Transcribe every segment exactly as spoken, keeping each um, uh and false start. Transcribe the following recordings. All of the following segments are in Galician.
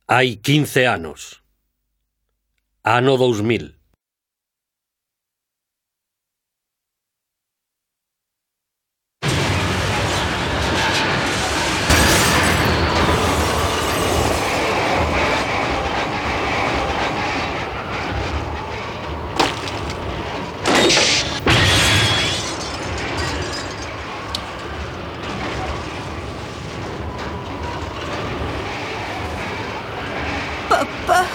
Hai quince anos. Ano dous mil. Papá.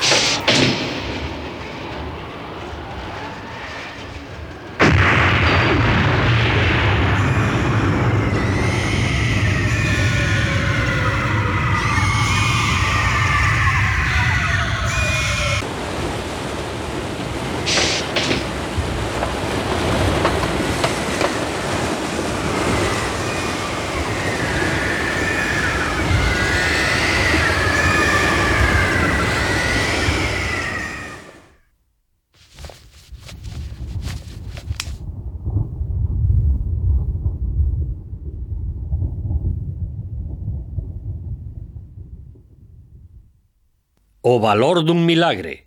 O valor dun milagre.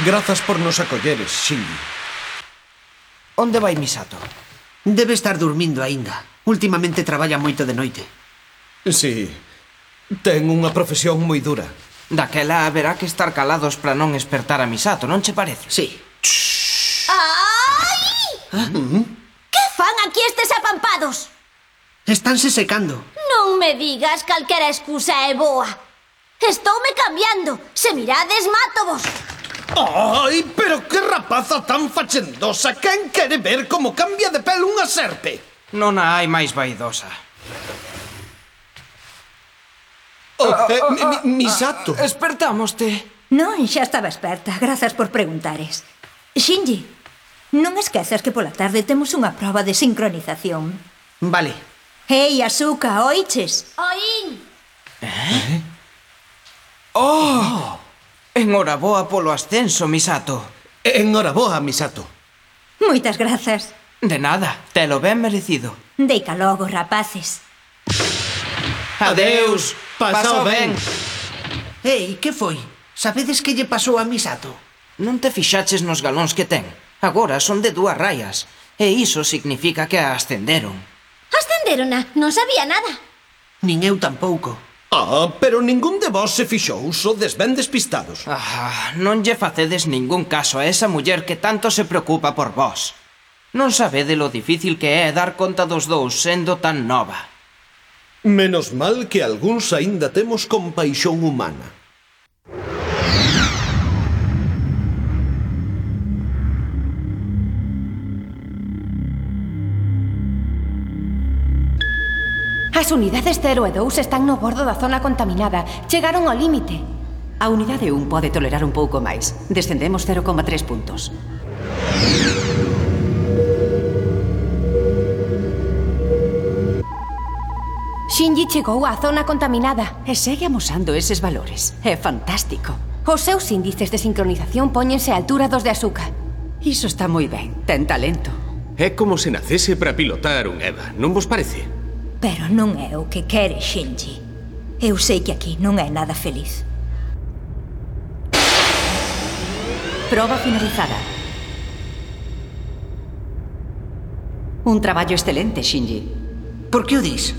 Grazas por nos acolleres, Shinji. Onde vai Misato? Debe estar dormindo aínda. Últimamente traballa moito de noite. Si, ten unha profesión moi dura. Daquela haberá que estar calados para non espertar a Misato, non che parece? Sí. Ai! ¿Ah? Que fan aquí estes apampados? Estánse secando. Non me digas calquera excusa é boa. Estoume cambiando. Se mirades, mátovos. Ai, pero que rapaza tan fachendosa. Quen quere ver como cambia de pel unha serpe? Non a hai máis vaidosa. Oh, eh, mi, mi, Misato. Espertámoste. Non, xa estaba esperta. Grazas por preguntares. Shinji, non esquezas que pola tarde temos unha proba de sincronización. Vale. Ei, Asuka, oiches? Oín. Eh? Oh! Enhoraboa polo ascenso, Misato. Enhoraboa, Misato. Moitas grazas. De nada, telo ben merecido. Deica logo, rapaces. Adeus, pasao ben. Ei, que foi? Sabedes que lle pasou a Misato? Non te fixaches nos galóns que ten. Agora son de dúas raias. E iso significa que a ascenderon. Ascenderona, non sabía nada. Nin eu tampouco. Ah, pero ningún de vós se fixou, sodes ben despistados. Ah, non lle facedes ningún caso a esa muller que tanto se preocupa por vós. Non sabede lo difícil que é dar conta dos dous sendo tan nova. Menos mal que algúns aínda temos compaixón humana. As unidades cero e dous están no bordo da zona contaminada. Chegaron ao límite. A unidade un pode tolerar un pouco máis. Descendemos cero coma tres puntos. Shinji chegou á zona contaminada. E segue amosando eses valores. É fantástico. Os seus índices de sincronización póñense á altura dos de Asuka. Iso está moi ben. Ten talento. É como se nacese para pilotar un EVA, non vos parece? Pero non é o que quere Shinji. Eu sei que aquí non é nada feliz. Proba finalizada. Un traballo excelente, Shinji. Por que o dis?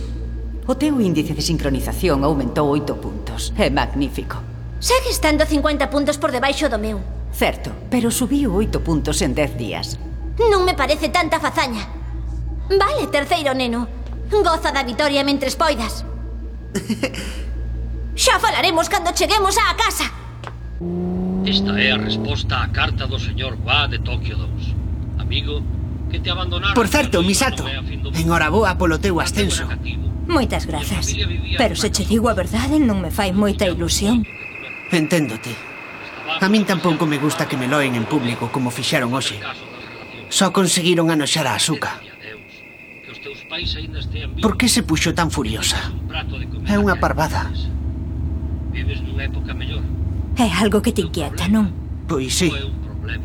O teu índice de sincronización aumentou oito puntos. É magnífico. Segue estando cincuenta puntos por debaixo do meu. Certo, pero subiu oito puntos en dez días. Non me parece tanta fazaña. Vale, terceiro neno. Goza da vitoria mentres poidas. Xa falaremos cando cheguemos á casa. Esta é a resposta á carta do señor Wa de Tokio dous. Amigo, que te abandonaron... Por certo, Misato, enhoraboa polo teu ascenso. Moitas grazas. Pero se che digo a verdade non me fai moita ilusión. Enténdote. A min tampouco me gusta que me loen en público como fixeron hoxe. Só conseguiron anoxar a Asuka. Por que se puxo tan furiosa? É unha parvada. Vives nunha época mellor. É algo que te inquieta, non? Pois sí.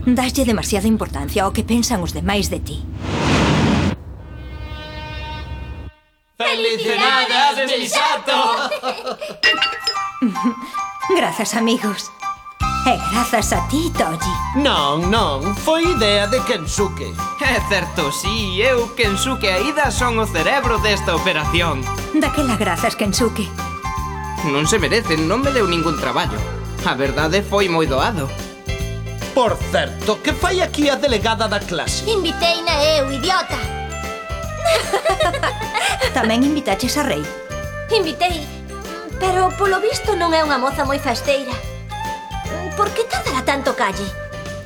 Daslle demasiada importancia ao que pensan os demais de ti. ¡Felicidades, Misato! Grazas, amigos. E grazas a ti, Toji. Non, non, foi idea de Kensuke. É certo, sí, eu, Kensuke e Aida son o cerebro desta operación. Daquela grazas, Kensuke. Non se merecen, non me deu ningún traballo. A verdade foi moi doado. Por certo, que fai aquí a delegada da clase? Inviteina eu, idiota. Tamén invitaches a Rei. Invitei, pero polo visto non é unha moza moi festeira. Por que tardará tanto Calle?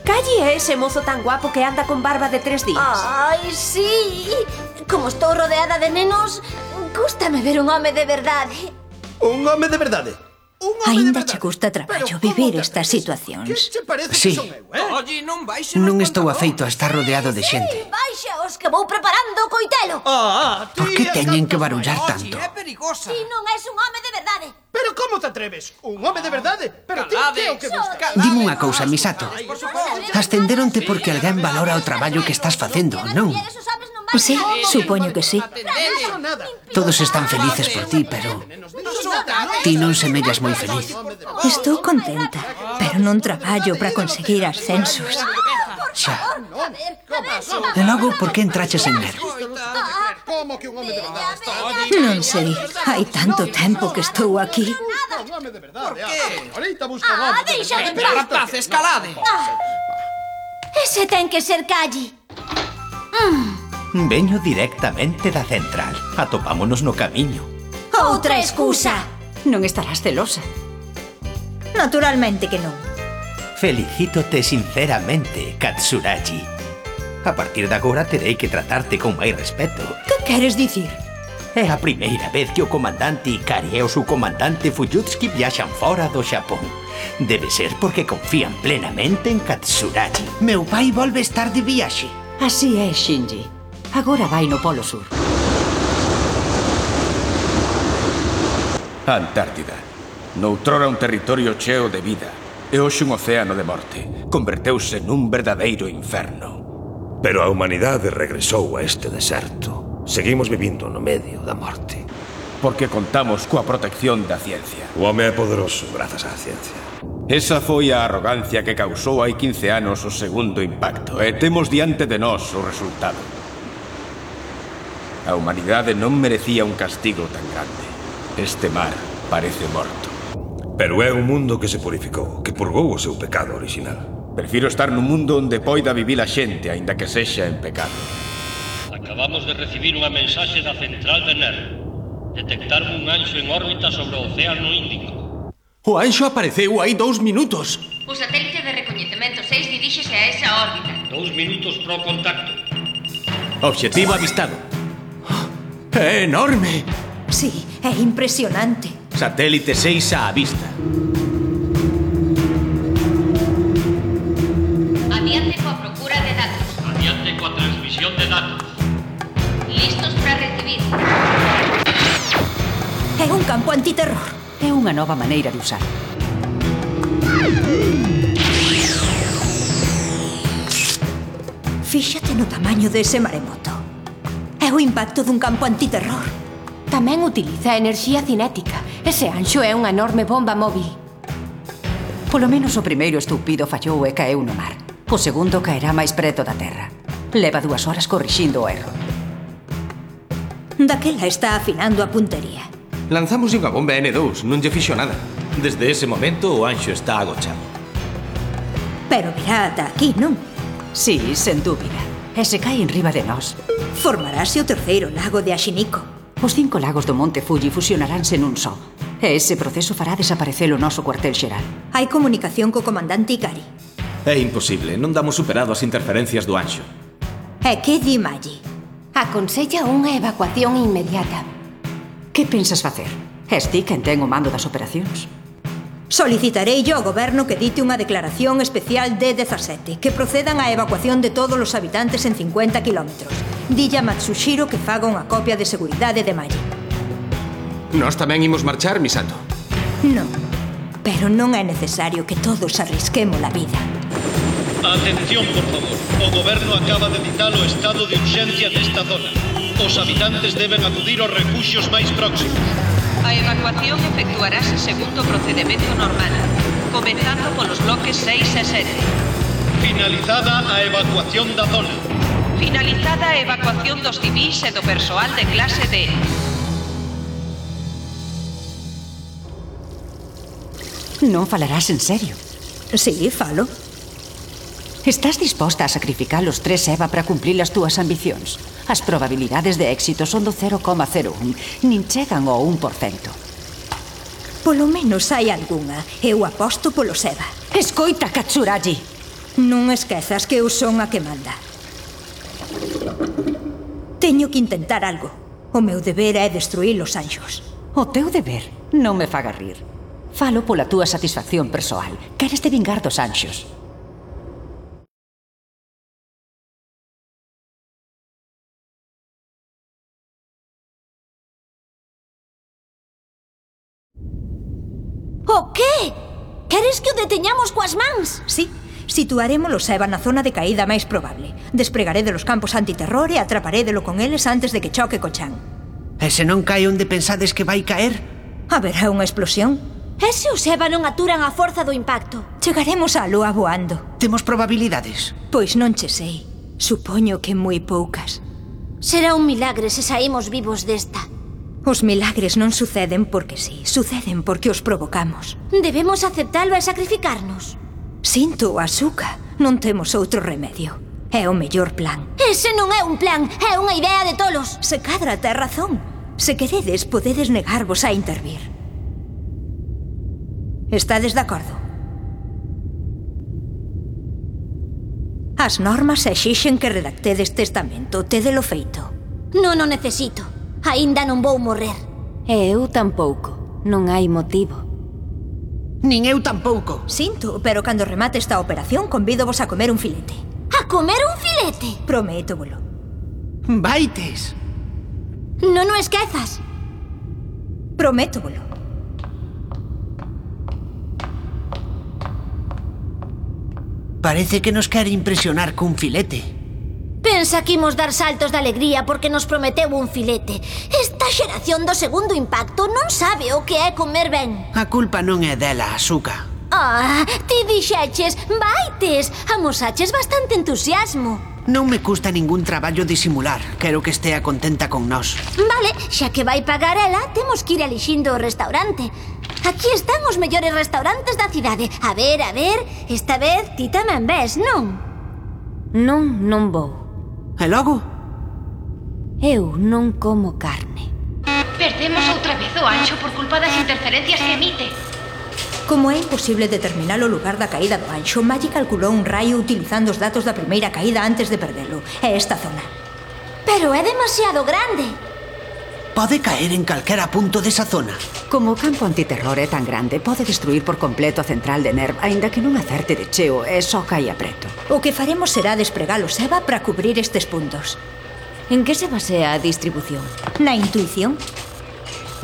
Calle é ese mozo tan guapo que anda con barba de tres días. Ai, sí. Como estou rodeada de nenos, gústame ver un home de verdade. Un home de verdade? Aínda che custa traballo vivir estas situacións. Sí. Oye, non vais Non estou afeito a estar rodeado de xente. Baixaos que vou preparando o coitelo. Ah, Por que teñen que barullar tanto? É perigosa. Ti non és un home de verdade. Pero como te atreves? Un home de verdade? Pero ti que é o que buscas? Dime unha cousa, Misato. Ascenderonte porque alguén valora o traballo que estás facendo, non? Sí, supoño que sí. Todos están felices por ti, pero ti non semellas moi feliz. Estou contenta, pero non traballo para conseguir ascensos. Xa. E logo, por que entraches en Ner? Como que un home de verdade está? Non sei, hai tanto tempo que estou aquí. Un home de verdade. Por que? Ahorita busca un Ah, home. deixade en Pero, paz. rapaz, escalade. Ese ten que ser Calle. Veño directamente da central. Atopámonos no camiño. Outra excusa. Non estarás celosa. Naturalmente que non. Felicítote sinceramente, Katsuragi. A partir de agora terei que tratarte con máis respeto. Que queres dicir? É a primeira vez que o comandante Ikari e o subcomandante Fuyutsuki viaxan fora do Xapón. Debe ser porque confían plenamente en Katsuragi. Meu pai volve estar de viaxe. Así é, Shinji. Agora vai no Polo Sur. Antártida. Noutrora un territorio cheo de vida e hoxe un océano de morte. Converteuse nun verdadeiro inferno. Pero a humanidade regresou a este deserto. Seguimos vivindo no medio da morte. Porque contamos coa protección da ciencia. O home é poderoso grazas á ciencia. Esa foi a arrogancia que causou hai quince anos o segundo impacto e temos diante de nós o resultado. A humanidade non merecía un castigo tan grande. Este mar parece morto. Pero é un mundo que se purificou, que purgou o seu pecado original. Prefiro estar nun mundo onde poida vivir a xente, aínda que sexa en pecado. Acabamos de recibir unha mensaxe da central de Ner. Detectaron un anxo en órbita sobre o Océano Índico. O anxo apareceu hai dous minutos. O satélite de recoñecemento seis diríxese a esa órbita. Dous minutos pro contacto. Obxectivo avistado. É enorme. Sí, é impresionante. Satélite seis á vista. Adiante coa procura de datos. Adiante coa transmisión de datos. Listos para recibir. É un campo antiterror. É unha nova maneira de usar. Fíxate no tamaño dese maremoto. É o impacto dun campo antiterror. Tamén utiliza enerxía cinética. Ese anxo é unha enorme bomba móvil. Polo menos o primeiro estúpido fallou e caeu no mar. O segundo caerá máis preto da terra. Leva dúas horas corrixindo o erro. Daquela está afinando a puntería. Lanzamos unha bomba ene dous, non lle fixo nada. Desde ese momento o anxo está agochado. Pero virá ata aquí, non? Sí, sen dúbida. E se cae en riba de nós. Formarase o terceiro lago de Ashiniko. Os cinco lagos do Monte Fuji fusionaránse nun só. E ese proceso fará desaparecer o noso cuartel xeral. Hai comunicación co comandante Ikari. É imposible, non damos superado as interferencias do anxo. E que di Maggi? Aconsella unha evacuación inmediata. Que pensas facer? És ti quen ten o mando das operacións? Solicitarei yo ao goberno que dite unha declaración especial D dezasete, que procedan á evacuación de todos os habitantes en cincuenta kilómetros. Dille a Matsushiro que faga unha copia de seguridade de Maggi. Nós tamén imos marchar, Misato. Non, pero non é necesario que todos arrisquemos a vida. Atención, por favor. O goberno acaba de dictar o estado de urxencia nesta zona. Os habitantes deben acudir aos refuxios máis próximos. A evacuación efectuarase segundo o procedemento normal, comenzando polos bloques seis e sete. Finalizada a evacuación da zona. Finalizada a evacuación dos civís e do persoal de clase D. Non falarás en serio? Sí, falo. Estás disposta a sacrificar os tres Eva para cumplir as túas ambicións? As probabilidades de éxito son do cero coma cero un, nin chegan ao un por cento. Polo menos hai algunha. Eu aposto polo Seba. Escoita, Katsuragi. Non esquezas que eu son a que manda. Teño que intentar algo. O meu deber é destruir os anxos. O teu deber non me faga rir. Falo pola túa satisfacción persoal. Queres te vingar dos anxos. O qué? Queres que o deteñamos coas mans? Sí, situaremos o Seba na zona de caída máis probable. Despregaré de los campos antiterror e atraparédelo con eles antes de que choque co chan. E se non cae onde pensades que vai caer? Haberá unha explosión. E se o Seba non aturan a forza do impacto? Chegaremos á lúa voando. Temos probabilidades? Pois non che sei. Supoño que moi poucas. Será un milagre se saímos vivos desta. Os milagres non suceden porque sí, suceden porque os provocamos. Debemos aceptalo e sacrificarnos. Sinto, Asuka, non temos outro remedio. É o mellor plan. Ese non é un plan, é unha idea de tolos. Se cadra ten razón. Se queredes, podedes negarvos a intervir. Estades de acordo? As normas exixen que redactedes testamento. Tedelo feito. Non o necesito. Aínda non vou morrer. E eu tampouco. Non hai motivo. Nin eu tampouco. Sinto, pero cando remate esta operación convídovos a comer un filete. A comer un filete? Prométovolo. Vaites. Non o esquezas. Prométovolo. Parece que nos quere impresionar cun filete. Pensa que imos dar saltos de alegría porque nos prometeu un filete. Esta xeración do segundo impacto non sabe o que é comer ben. A culpa non é dela, Asuka. Ah, ti dixeches, vaites. Amosaches bastante entusiasmo. Non me custa ningún traballo disimular. Quero que estea contenta con nós. Vale, xa que vai pagar ela, temos que ir elixindo o restaurante. Aquí están os mellores restaurantes da cidade. A ver, a ver, esta vez ti tamén ves, non? Non, non vou. E logo? Eu non como carne. Perdemos outra vez o anxo por culpa das interferencias que emite. Como é imposible determinar o lugar da caída do anxo, Maggie calculou un raio utilizando os datos da primeira caída antes de perdelo. É esta zona. Pero é demasiado grande. Pode caer en calquera punto desa zona. Como o campo antiterror é tan grande, pode destruir por completo a central de Nerv, aínda que non acerte de cheo e só caia preto. O que faremos será despregar o Seba para cubrir estes puntos. En que se basea a distribución? Na intuición.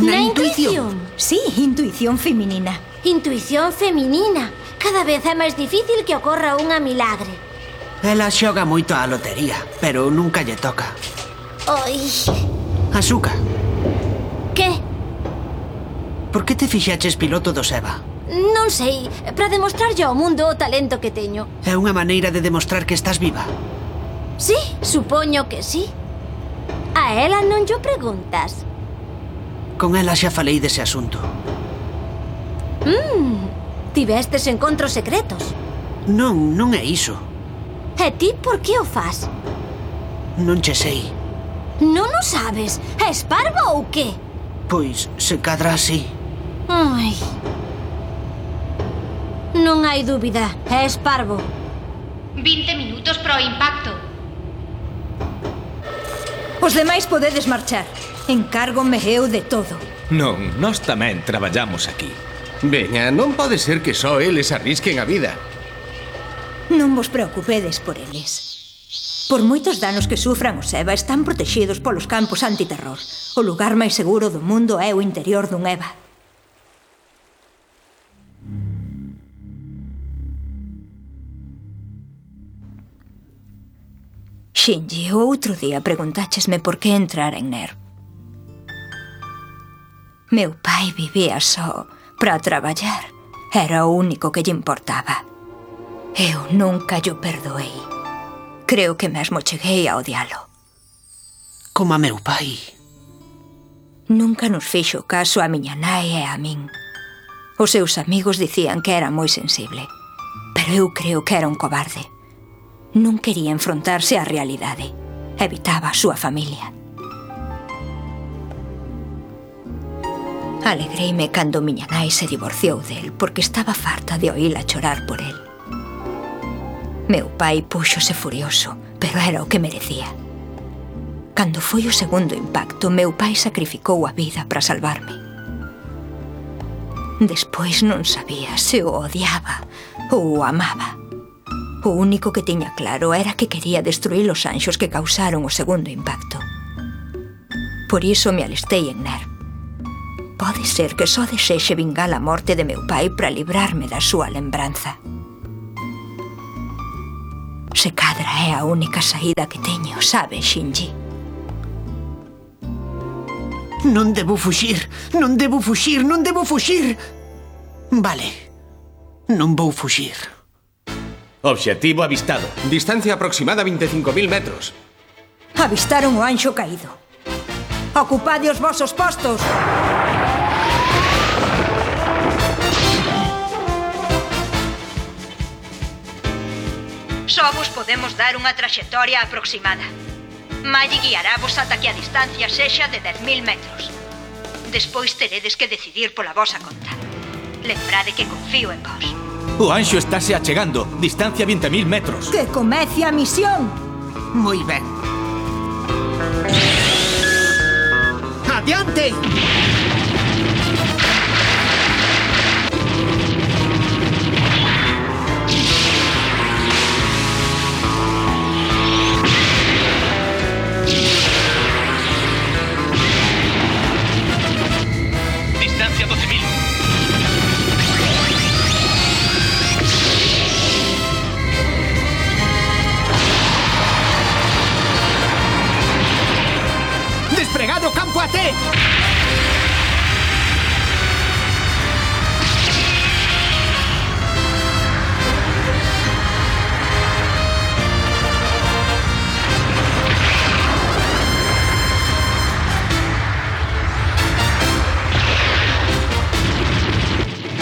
Na, Na intuición? Sí, intuición feminina. Intuición feminina. Cada vez é máis difícil que ocorra unha milagre. Ela xoga moito á lotería, pero nunca lle toca. Oi. Asuka. Que? Por que te fixaches piloto do Seba? Non sei, para demostrarlle ao mundo o talento que teño. É unha maneira de demostrar que estás viva. Sí, supoño que sí. A ela non llo preguntas. Con ela xa falei dese asunto. Mmm, tivestes encontros secretos. Non, non é iso. E ti por que o fas? Non che sei. Non o sabes? És parvo ou que? Pois, se cadra así. Ai. Non hai dúbida, és parvo. vinte minutos pro impacto. Os demais podedes marchar. Encárgome eu de todo. Non, nós tamén traballamos aquí. Veña, non pode ser que só eles arrisquen a vida. Non vos preocupedes por eles. Por moitos danos que sufran o Seba, están protexidos polos campos antiterror. O lugar máis seguro do mundo é o interior dun Eva. Shinji, o outro día preguntáchesme por que entrar en Nerv. Meu pai vivía só para traballar. Era o único que lle importaba. Eu nunca llo perdoei. Creo que mesmo cheguei a odialo. Como a meu pai. Nunca nos fixo caso a miña nai e a min. Os seus amigos dicían que era moi sensible. Pero eu creo que era un cobarde. Non quería enfrontarse á realidade. Evitaba a súa familia. Alegreime cando miña nai se divorciou del porque estaba farta de oíla chorar por el. Meu pai púxose furioso, pero era o que merecía. Cando foi o segundo impacto, meu pai sacrificou a vida para salvarme. Despois non sabía se o odiaba ou o amaba. O único que tiña claro era que quería destruir os anxos que causaron o segundo impacto. Por iso me alistei en Ner. Pode ser que só desexe vingar a morte de meu pai para librarme da súa lembranza. Se cadra é a única saída que teño, sabe, Shinji? Non debo fuxir, non debo fuxir, non debo fuxir. Vale, non vou fuxir. Obxectivo avistado. Distancia aproximada veinticinco mil metros. Avistaron o anxo caído. Ocupade os vosos postos. Só vos podemos dar unha traxectoria aproximada. Maggie guiarávos ata que a distancia sexa de dez mil metros. Despois teredes que decidir pola vosa conta. Lembrade que confío en vos. O anxo estáse achegando. Distancia vinte mil metros. Que comece a misión. Moi ben. Adiante! Distancia doce mil. Despregado campo A T.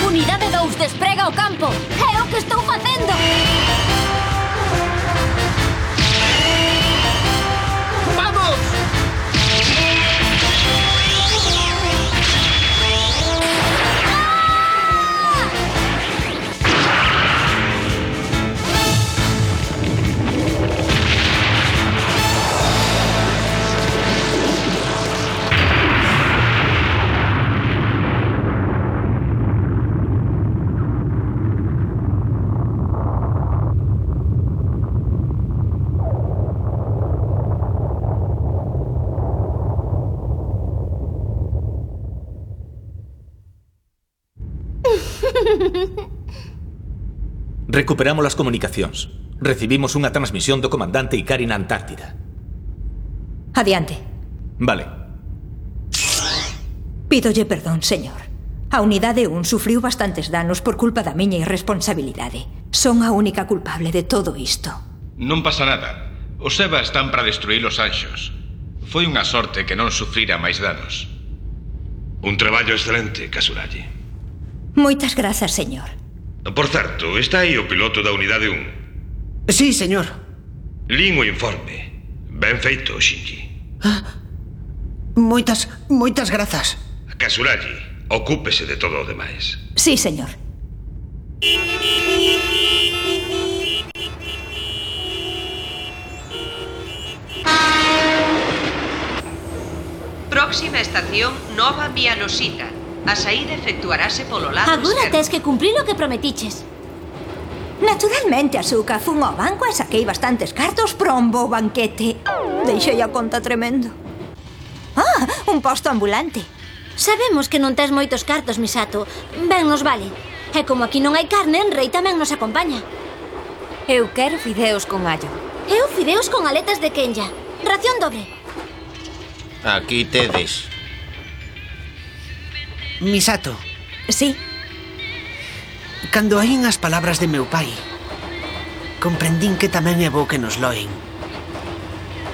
Unidade dous, desprega o campo. É o que estou facendo. ¡Vamos! Recuperamos as comunicacións. Recibimos unha transmisión do comandante Ikari na Antártida. Adiante. Vale. Pídolle perdón, señor. A unidade un sufriu bastantes danos por culpa da miña irresponsabilidade. Son a única culpable de todo isto. Non pasa nada. Os EVA están para destruir os anxos. Foi unha sorte que non sufrira máis danos. Un traballo excelente, Kasuragi. Moitas grazas, señor. Por certo, está aí o piloto da unidade un. Sí, señor. Lin o informe. Ben feito, Shinji. Ah, moitas, moitas grazas. Kasuragi, ocúpese de todo o demais. Sí, señor. Próxima estación Nova Mianosita. A saída efectuarase polo lado Agora esquerdo. tes que cumprir o que prometiches. Naturalmente, Asuka, fun ao banco e saquei bastantes cartos para un bo banquete. Deixei a conta tremendo. Ah, un posto ambulante. Sabemos que non tes moitos cartos, Misato. Ben nos vale. E como aquí non hai carne, Rei tamén nos acompaña. Eu quero fideos con allo. Eu fideos con aletas de Kenya. Ración doble. Aquí tedes. Misato. Sí. Cando oín as palabras de meu pai, comprendín que tamén é bo que nos loen.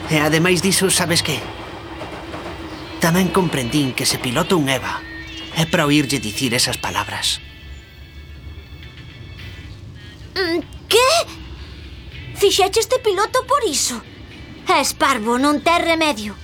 E ademais diso, sabes que? Tamén comprendín que se piloto un Eva é para oírlle dicir esas palabras. Que? Fixeche este piloto por iso? És parvo, non tes remedio.